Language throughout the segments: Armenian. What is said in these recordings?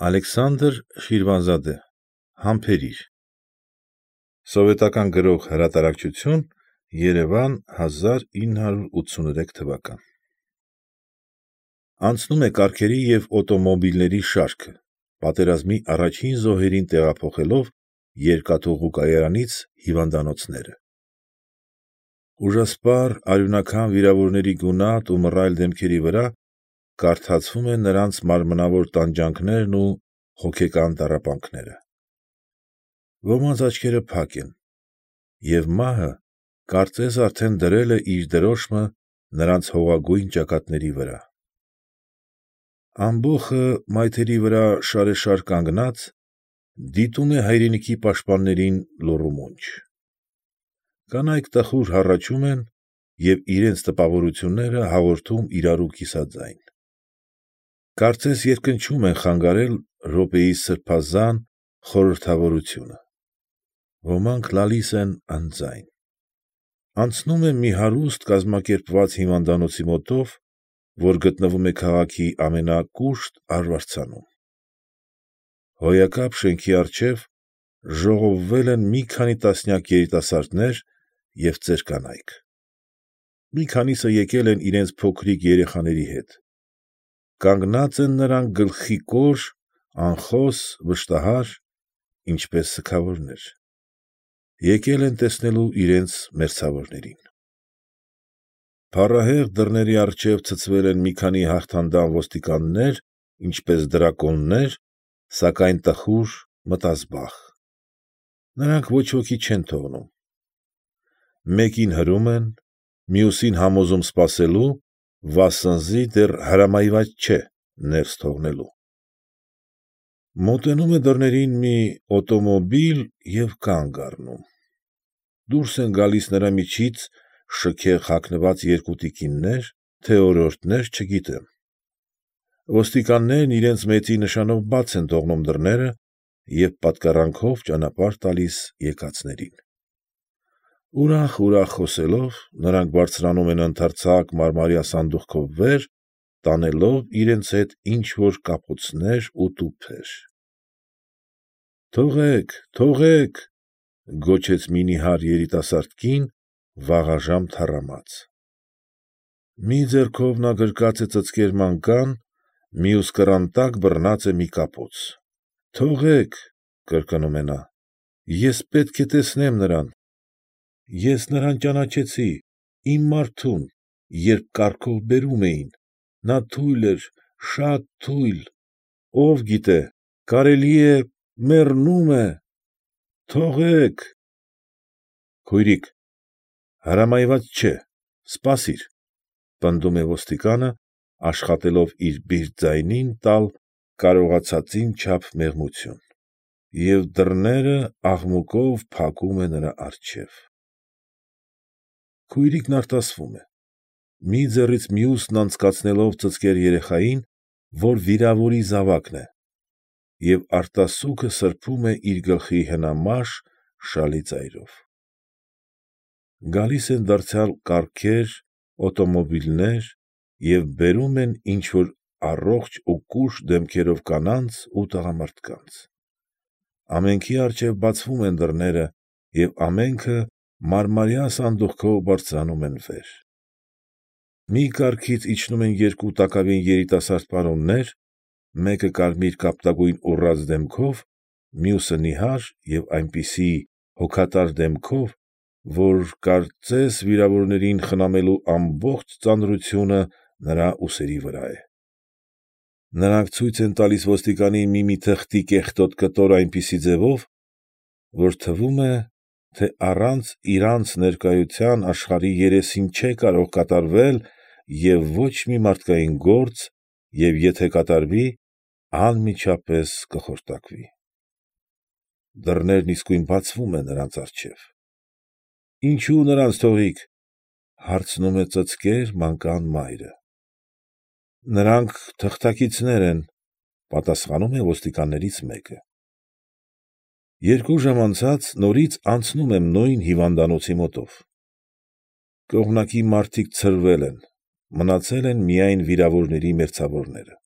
Ալեքսանդր Շիրվանզադե, Համբերիր, Սովետական Գրող Հրատարակչություն, Երևան 1983 թվական։ Անցնում է կառքերի և օտոմոբիլների շարքը, պատերազմի առաջին զոհերին տեղափոխելով երկաթուղու կայարանից հիվանդանոցները։ Ուժասպառ արյունաքամ վիրավորների գունատ ու մռայլ դեմքերի վրա կարդացվում են նրանց մարմնավոր տանջանքներն ու հոգեկան տառապանքները։ Ոմանց աչքերը փակ են, և մահը կարծես արդեն դրել է իր դրոշմը նրանց հողագույն ճակատների վրա։ Ամբոխը մայթերի վրա շարեշար կանգնած, դիտում է հայրենիքի պաշտպաններին լուռ ու մունջ։ Կանայք տխուր հառաչում են և իրենց տպավորությունները հաղորդում իրարու կիսաձայն։ Կարծես երկնչում են խանգարել րոպեի սրբազան խորհրդավորությունը։ Ոմանք լալիս են անձայն։ Անցնում է մի հարուստ կազմակերպված հիվանդանոցի մոտով, որ գտնվում է քաղաքի ամենակուշտ արվարձանում։ Հոյակապ շենքի առջև ժողովվել են մի քանի տասնյակ երիտասարդներ և ծեր կանայք։ Մի քանիսը եկել են իրենց փոքրիկ երեխաների հետ։ Կանգնած են նրանք գլխիկոր, անխոս, վշտահար, ինչպես սգավորներ։ Եկել են տեսնելու իրենց մերձավորներին։ Փառահեղ դռների առջև ցցվել են մի քանի հաղթանդամ ոստիկաններ, ինչպես դրակոններ, սակայն տխուր, մտազբաղ։ Նրանք ոչ ոքի չեն թողնում։ Մեկին հրում են, մյուսին համոզում սպասելու, վասնզի դեռ հրամայված չէ ներս թողնելու։ Մոտենում է դռներին մի օտոմոբիլ և կանգ առնում։ Դուրս են գալիս նրա միջից շքեղ հագնված երկու տիկիններ, թե օրիորդներ, չգիտեմ։ Ոստիկաններն իրենց մեծի նշանով բաց են թողնում դռները և պատկառանքով ճանապարհ տալիս եկածներին։ Ուրախ խոսելով, նրանք բարձրանում են ընդարձակ մարմարյա սանդուղքով վեր, տանելով իրենց հետ ինչ֊որ կապոցներ ու տուփեր։ Թողեք, գոչեց մի նիհար երիտասարդ կին, վաղաժամ թառամած։ Մի ձեռքով նա գրկած է ծծկեր մանկան, մյուս կռան տակ բռնած է մի կապոց։ Թողեք, կրկնում է նա, ես պետք է տեսնեմ նրան։ Ես նրան ճանաչեցի, իմ մարդուն, երբ կառքով բերում էին, նա թույլ էր, շատ թույլ, ով գիտե, կարելի է, մեռնում է։ Թողեք… Քույրիկ, հրամայված չէ, սպասիր, պնդում է ոստիկանը, աշխատելով իր բիրտ ձայնին տալ կարողացածին չափ մեղմություն, և դռները աղմուկով փակում է նրա առջև։ Քույրիկն արտասվում է, մի ձեռից մյուսն անցկացնելով ծծկեր երեխային, որ վիրավորի զավակն է, և արտասուքը սրբում է իր գլխի հնամաշ, շալի ծայրով։ Գալիս են դարձյալ կառքեր, օտոմոբիլներ և բերում են ինչ֊որ առողջ ու կուշտ դեմքերով կանանց ու տղամարդկանց։ Ամենքի առջև բացվում են դռները և ամենքը մարմարյա սանդուղքով բարձրանում են վեր։ Մի կառքից իջնում են երկու տակավին երիտասարդ պարոններ, մեկը կարմիր կապտագույն ուռած դեմքով, մյուսը նիհար և այնպիսի հոգատար դեմքով, որ կարծես վիրավորներին խնամելու ամբողջ ծանրությունը նրա ուսերի վրա է։ Նրանք ցույց են տալիս ոստիկանին մի թղթի կեղտոտ կտոր այնպիսի ձևով, որ թվում է, թե առանց իրանց ներկայության աշխարհի երեսին չէ կարող կատարվել և ոչ մի մարդկային գործ և եթե կատարվի, անմիջապես կխորտակվի։ Դռներն իսկույն բացվում են նրանց առջև։ Ինչո՞ւ նրանց թողիկ, հարցնում է ծծկեր մանկան մայրը։ Նրանք թղթակիցներ են, պատասխանում է ոստիկաններից մեկը։ Երկու ժամ անցած նորից անցնում եմ նույն հիվանդանոցի մոտով։ Կողմնակի մարդիկ ցրվել են, մնացել են միայն վիրավորների մերձավորները։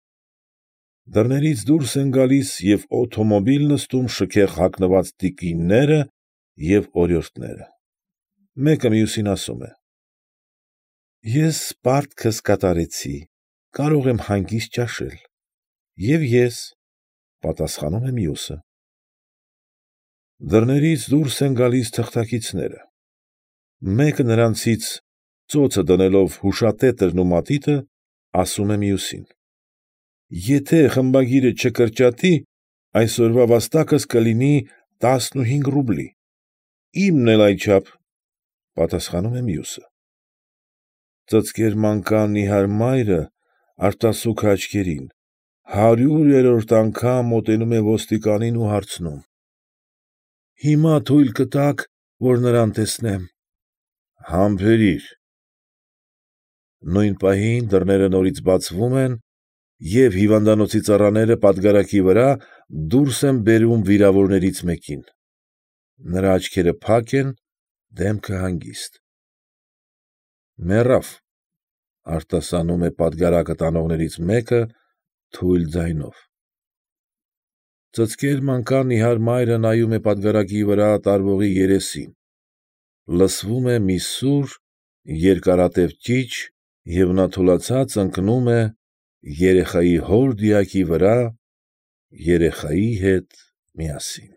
Դռներից դուրս են գալիս և օթոմոբիլ նստում շքեղ հագնված տիկինները և օրիորդները։ Մեկը մյուսին ասում է. ֊ Ես պարտքս կատարեցի, կարող եմ հանգիստ ճաշել։ ֊ Եվ ես, ֊ պատասխանում է մյուսը։ Դռներից դուրս են գալիս թղթակիցները։ Մեկը նրանցից, ծոցը դնելով հուշատետրն ու մատիտը, ասում է մյուսին. ֊ Եթե խմբագիրը չկրճատի, այսօրվա վաստակս կլինի 15 ռուբլի։ ֊ Իմն էլ այդչափ, ֊ պատասխանում է մյուսը։ Ծծկեր մանկան նիհար մայրը, արտասուք աչքերին, 100-րդ անգամ մոտենում է ոստիկանին ու հարցնում. ֊ Հիմա թույլ կտաք, որ նրան տեսնեմ։ ֊ Համբերիր։ Նույն պահին դռները նորից բացվում են, և հիվանդանոցի ծառաները պատգարակի վրա դուրս են բերում վիրավորներից մեկին։ Նրա աչքերը փակ են, դեմքը հանգիստ։ ֊ Մեռավ, ֊ արտասանում է պատգարակը տանողներից մեկը թույլ ձայնով։ Ծծկեր մանկան նիհար մայրը նայում է պատգարակի վրա տարվողի երեսին, լսվում է մի սուր, երկարատև ճիչ և նա թուլացած ընկնում է երեխայի հոր դիակի վրա երեխայի հետ միասին։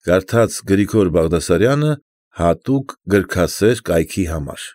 Կարդաց Գրիգոր Բաղդասարյանը հատուկ գրքասեր կայքի համար։